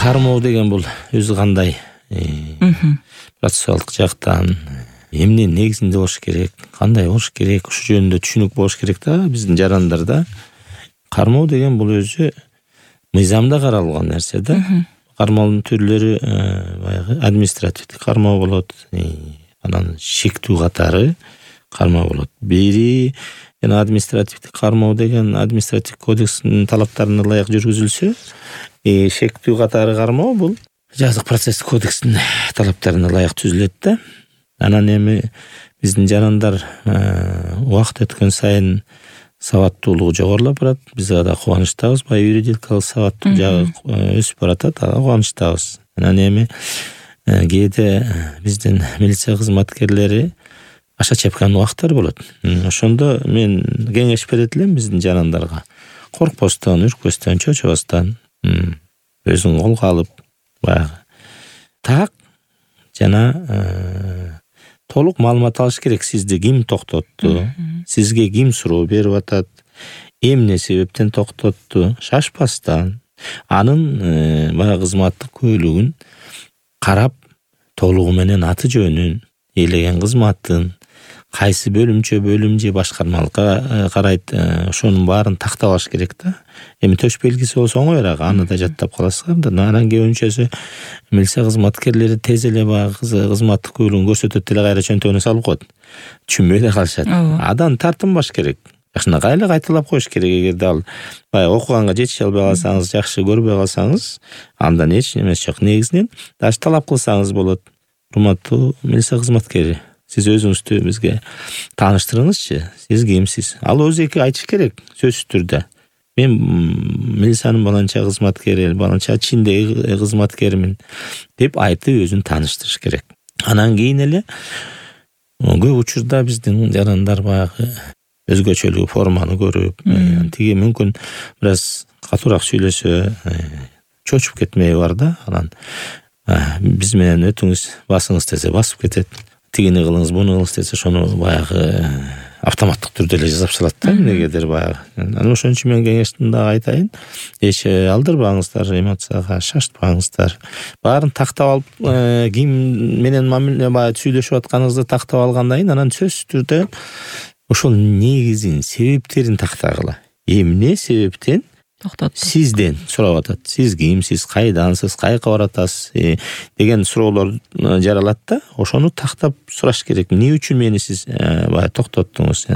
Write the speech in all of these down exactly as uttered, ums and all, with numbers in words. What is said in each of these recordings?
кармоо деген бул өзү кандай процессуалдык жактан эмне негизинде болуш керек, кандай болуш керек, ушул жөнүндө түшүнүк болуш керек да биздин жарандарда. Кармоо деген бул өзү мыйзамда каралган нерсе да. Кармоонун түрлөрү баягы административдик кармоо болот, анан шектүү катары кармоо болот. Бири жана административдик кармоо деген административдик кодекстин талаптарына ылайык жүргүзүлсө, шектүү катары кармоо бул жазык процесстик кодекстин талаптарына ылайык түзүлөт да. Анан эми биздин жарандар убакыт өткөн сайын сабаттуулугу жогорулап барат. Биз ада кубанычтабыз. Баягы юридикалык сабаттуу жагы өсүп баратат. Ага кубанычтабыз. Анан эми кээде биздин милиция кызматкерлери аша чапкан убактар болот. Ошондо мен кеңеш берет элем биздин жарандарга. Коркпостон, үркпөстөн, чочобостон, өзүн колго алып, баягы так жана толук маалымат алыш керек. Сизди ким токтотту, сизге ким суроо берип атат, эмне себептен токтотту, шашпастан анын баягы кызматтык күбөлүгүн карап, толугу менен аты жөнүн, ээлеген кызматын, кайсы бөлүмчө, бөлүм же башкармалыкка карайт, ошонун баарын тактап алыш керек да. Эми төш белгиси болсо оңоюраак, аны да жаттап каласыздар да. Анан көбүнчөсү милиция кызматкерлери тез эле баягы кызматтык күбөлүгүн көрсөтөт эле, кайра чөнтөгүнө салып коет. Түшүнбөй да калышат. Адан тартынбаш керек. Жакшынакай эле кайталап коюш керек. Эгерде ал баягы окуганга жетише албай калсаңыз, жакшы көрбөй калсаңыз, андан эч немеси жок. Негизинен даже талап кылсаңыз болот. Урматтуу милиция кызматкери, сиз өзүңүздү бизге тааныштырыңызчы, сиз кимсиз? Ал өзү эки айтыш керек сөзсүз түрдө. Мен милициянын баланча кызматкери, баланча чиндеги кызматкеримин деп айтып өзүн тааныштырыш керек. Анан кийин эле көп учурда биздин жарандар баягы өзгөчөлүгү форманы көрүп, тиги мүмкүн бир аз катуураак сүйлөсө чочуп кетмеби бар да. Анан биз менен өтүңүз, басыңыз десе басып кетет. Тигини кылыңыз, буну кылыңыз десе ошону баягы автоматтык түрдө эле жасап салат да эмнегедир баягы. Анан ошон үчүн мен кеңештин дагы айтайын. Эч алдырбаңыздар, эмоцияга шаштпаңыздар. Баарын тактап алып, ким менен мамиле баягы сүйлөшүп атканыңызды тактап алгандан кийин анан сөзсүз түрдө ошол негизин, себептерин тактагыла. Эмне себептен токтотту? Сизден сурап атат. Сиз кимсиз, кайдансыз, кайка баратасыз деген суроолор жаралат да. Ошону тактап сураш керек. Эмне үчүн мени сиз баягы токтоттуңуз?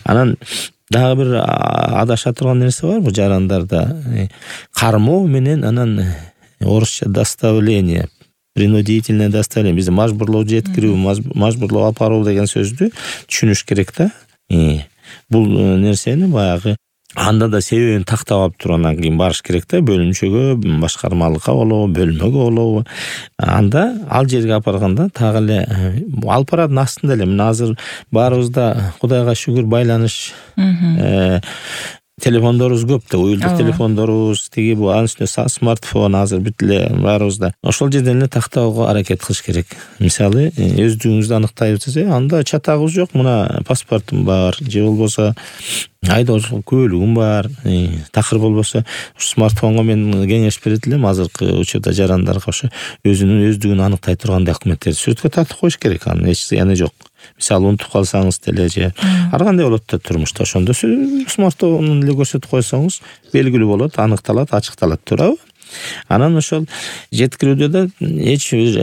Анан дагы бир адаша турган нерсе бар бу жарандарда. Кармоо менен анан орусча доставление, принудительное доставление, бизде мажбурлоо жеткирүү, мажбурлоо алып баруу деген сөздү түшүнүш керек да. Бул нерсени баягы анда да себебин тактап алып туруп анан кийин барыш керек да, бөлүмчөгө, башкармалыкка болобу, бөлмөгө болобу. Анда ал жерге алып барганда так эле алып барардын астында эле мына азыр баарыбызда Кудайга шүгүр байланыш телефондорубуз көп да, уюлдук телефондорубуз, тиги бул анын үстүнө смартфон азыр бүт эле баарыбызда. Ошол жерден эле тактоого аракет кылыш керек. Мисалы, өздүгүңүздү анықтайбыз, анда чатагыбыз жок, мына паспортум бар, же болбосо айдоочулук күбөлүгүм бар, такыр болбосо смартфонго мен кеңеш берет элем азыркы учурда жарандарга ошо өзүнүн өздүгүн аныктай турган документтерди сүрөткө тартып коюш керек, анын эч зыяны жок. Мисалы, унутуп калсаңыз деле же ар кандай болот да турмушта, ошондо смартфондон эле көрсөтүп койсоңуз белгилүү болот, аныкталат, ачыкталат, туурабы? Анан ошол жеткирүүдө да эч бир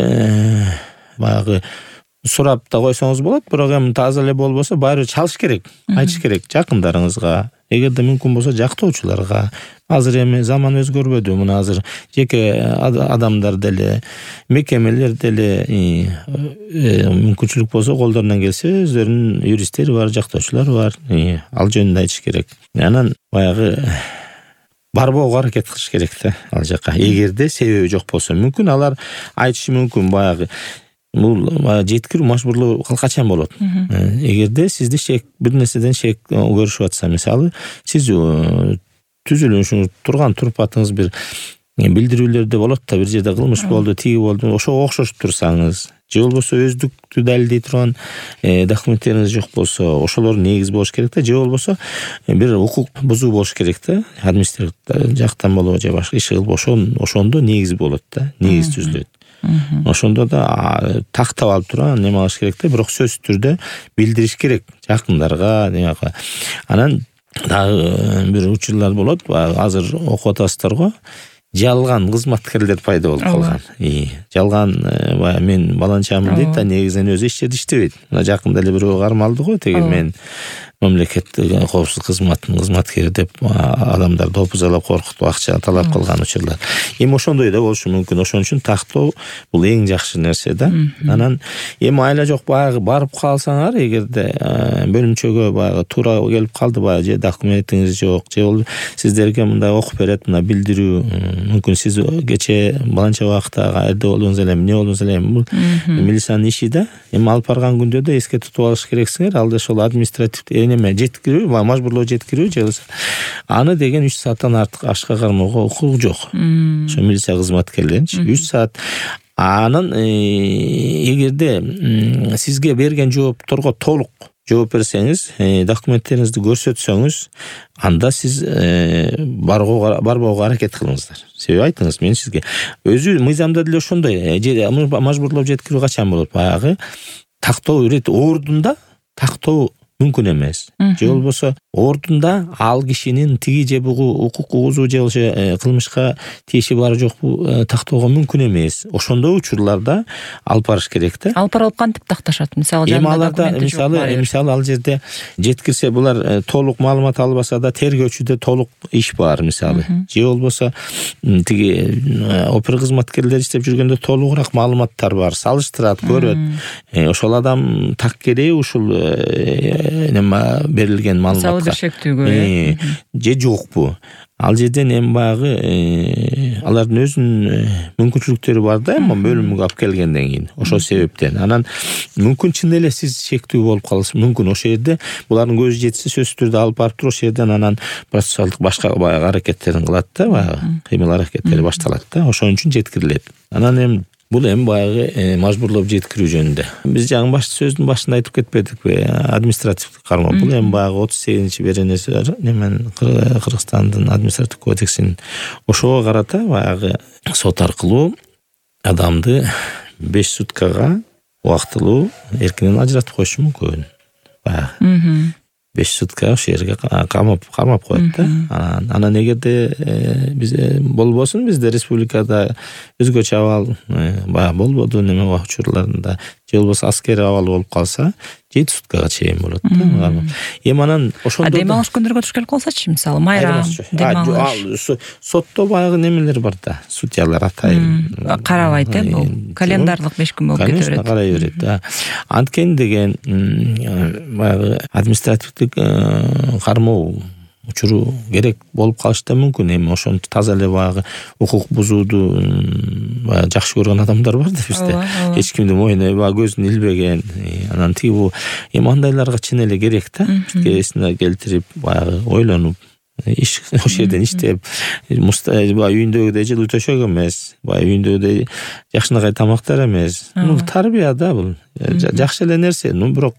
баягы сурап да койсоңуз болот, бирок эми таза эле болбосо баары чалыш керек, айтыш керек жакындарыңызга, эгерде мүмкүн болсо жактоочуларга. Азыр эми заман өзгөрбөдү, мына азыр жеке адамдар деле, мекемелер деле мүмкүнчүлүк болсо колдорунан келсе өздөрүнүн юристтери бар, жактоочулары бар. Ал жөнүндө айтыш керек. Анан баягы барбоого аракет кылыш керек да ал жака. Эгерде себеби жок болсо, мүмкүн алар айтышы мүмкүн баягы бул жеткирүү мажбурлоо качан болот? Эгерде сизди шек бир нерседен шек көрүшүп атса, мисалы, сиз түзүлүшүңүз турган турпатыңыз бир билдирүүлөрдө болот да, бир жерде кылмыш болду, тиги болду, ошого окшош турсаңыз же болбосо өздүктү далилдей турган документтериңиз жок болсо, ошолор негиз болуш керек да, же болбосо бир укук бузуу болуш керек да, административ жактан болобу же башка иш кылып ошондо негиз болот да, негиз түзүлөт. Ошондо да тактап алып туруп неме кылыш керек да, бирок сөзсүз түрдө билдириш керек жакындарга, демек. Анан дагы бир учурлар болот, азыр окуп атасыздар го. Жалган кызматкерлер пайда болуп калган. Жалган баягы мен баланчамын дейт да, негизинен өзү эч жерде иштебейт. Мына жакында эле бирөө кармалды го, теги мен мамлекеттик коопсуздук кызматынын кызматкери деп адамдар допузалап коркутуп акча талап кылган учурлар. Эми ошондой да болушу мүмкүн. Ошон үчүн тактоо бул эң жакшы нерсе да. Анан эми айла жок баягы барып калсаңар, эгерде бөлүмчөгө баягы туура келип калды, баягы же документиңиз жок, же ол сиздерге мындай окуп берет, мына билдирүү, мүмкүн сиз кече баланча убакытта каерде болдуңуз эле, эмне болдуңуз эле, бул милициянын иши да. Эми алып барган күндө да эске тутуп алыш керексиңер. Ал да ошол административдик неме жеткирүү, мажбурлоо жеткирүү же болбосо аны деген үч сааттан артык ашка кармоого укугу жок. Ошо милиция кызматкерлеринчи үч саат. Анын эгерде сизге берген жоопторго толук жооп берсеңиз, документтериңизди көрсөтсөңүз, анда сиз барбоого аракет кылыңыздар. Себеби айтыңыз, мен сизге өзү мыйзамда деле ошондой мажбурлоп жеткирүү качан болот? Баягы тактоо ирет ордунда тактоо мүмкүн эмес. Же болбосо ордунда ал кишинин тиги же бугу укук угузуу же болбосо кылмышка тиеши бары жокпу тактоого мүмкүн эмес. Ошондой учурларда алып барыш керек да. Алып барып кантип такташат? Мисалы жанында документи жок. Мисалы, мисалы ал жерде жеткирсе, булар толук маалымат албаса да тергөөчүдө толук иш бар, мисалы. Же болбосо тиги опер кызматкерлер иштеп жүргөндө толугураак маалыматтар бар, салыштырат, көрөт. Ошол адам так керек ушул неме берилген маалыматка шектүүгө же жокпу. Ал жерден эми баягы алардын өзүнүн мүмкүнчүлүктөрү бар да, эми бөлүмгө алып келгенден кийин. Ошол себептен анан мүмкүн чын эле сиз шектүү болуп каласыз. Мүмкүн ошол жерде булардын көзү жетсе сөзсүз түрдө алып барып туруп ошол жерден анан процессуалдык башка баягы аракеттерин кылат да, баягы кыймыл аракеттери башталат да. Ошон үчүн жеткирилет. Анан эми бул эми баягы мажбурлоп жеткирүү жөнүндө. Биз жаңы баш сөздүн башында айтып кетпедикпи? Административдик кармоо. Бул эми баягы отуз сегизинчи беренеси бар. Немен Кыргызстандын административдик кодексинин ошого карата баягы сот аркылуу адамды беш суткага убактылуу эркинен ажыратып коюшу мүмкүн. Баягы беш сутка ошол жерге камап кармап коет да. Анан анан эгерде биз болбосун, бизде республикада өзгөчө абал баягы болбоду неме учурларында, же болбосо аскери абал болуп калса, жети суткага чейин болот да. Эми анан ошондо дем алыш күндөргө туш келип калсачы, мисалы майрам дем алыш. Сотто баягы немелер бар да, судьялар атайын карабайт э, бул календарлык беш күн болуп кете берет. Конечно, карай берет да. Анткени деген баягы административдик кармоо учуру керек болуп калышы да мүмкүн. Эми ошону таза эле баягы укук бузууду баягы жакшы көргөн адамдар бар да бизде. Эч кимди моюна көзүн илбеген. Анан тиги бул эми андайларга чын эле керек да. Бизге эсине келтирип баягы ойлонуп иш ошол жерден иштеп, үйүндөгүдөй жылуу төшөк эмес, баягы үйүндөгүдөй жакшынакай тамактар эмес. Бул тарбия да, бул жакшы эле нерсе. Ну бирок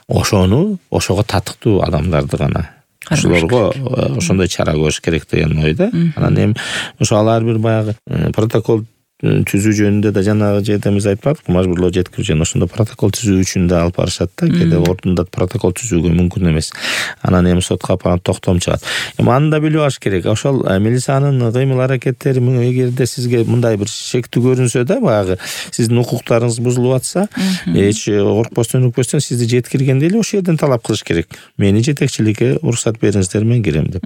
ошону ошого татыктуу адамдарды гана ошолорго ошондой чара көрүш керек деген ойда. Анан эми ошо алар бир баягы протокол түзүү жөнүндө да жанагы жерде биз айтпадык, мажбурлоо жеткирүү жөнүндө ошондо протокол түзүү үчүн да алып барышат да. Кээде ордунда протокол түзүүгө мүмкүн эмес. Анан эми сотко апарып токтом чыгат. Эми аны да билип алыш керек. Ошол милициянын кыймыл аракеттери эгерде сизге мындай бир шектүү көрүнсө да, баягы сиздин укуктарыңыз бузулуп атса, эч коркпостон өкпөстөн сизди жеткиргенде эле ошол жерден талап кылыш керек. Мени жетекчиликке уруксат бериңиздер, мен кирем деп.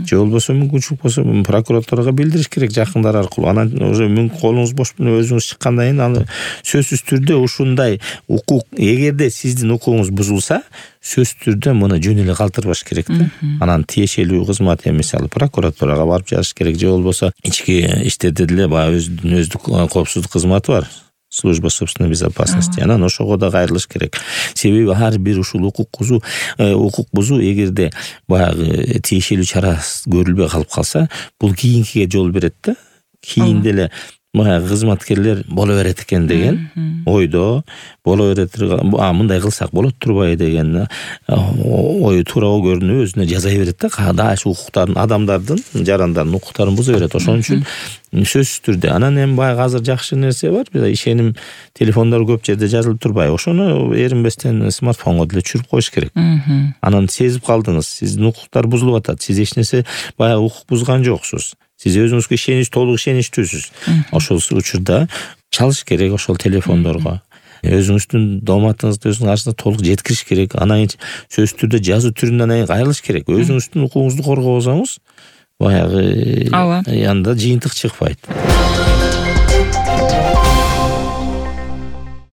Же болбосо мүмкүнчүлүк болсо прокуратурага билдириш керек жакындар аркылуу. Анан уже мүмкүн колуңуз бош өзүңүз чыккандан кийин аны сөзсүз түрдө ушундай укук, эгерде сиздин укугуңуз бузулса, сөзсүз түрдө муну жөн эле калтырбаш керек да. Анан тиешелүү кызмат, мисалы прокуратурага барып жазыш керек, же болбосо ички иштерде деле баягы өзүнүн өздүк коопсуздук кызматы бар. Служба собственной безопасности. Анан ошого да кайрылыш керек. Себеби ар бир ушул укук бузуу, укук бузуу эгерде баягы тиешелүү чара көрүлбөй калып калса, бул кийинкиге жол берет да. кийин деле баягы кызматкерлер боло берет экен деген ойдо, боло берет, а мындай кылсак болот турбайбы деген ой туурабы көрүнүп өзүнө жаза берет да, када ошо укуктарын, адамдардын, жарандардын укуктарын буза берет. Ошон үчүн сөзсүз түрдө анан эми баягы азыр жакшы нерсе бар, ишеним телефондор көп жерде жазылып турбайбы, ошону эринбестен смартфонго деле түшүрүп коюш керек. Анан сезип калдыңыз, сиздин укуктар бузулуп атат, сиз эч нерсе баягы укук бузган жоксуз, сиз өзүңүзгө ишенич, толук ишеничтүүсүз. Ошол учурда чалыш керек ошол телефондорго. Өзүңүздүн дооматыңызды өзүңүздүн каршыңызда толук жеткириш керек. Анан кийин сөзсүз түрдө жазуу түрүндө анан кайрылыш керек. Өзүңүздүн укугуңузду коргосоңуз, баягы анда жыйынтык чыкпайт.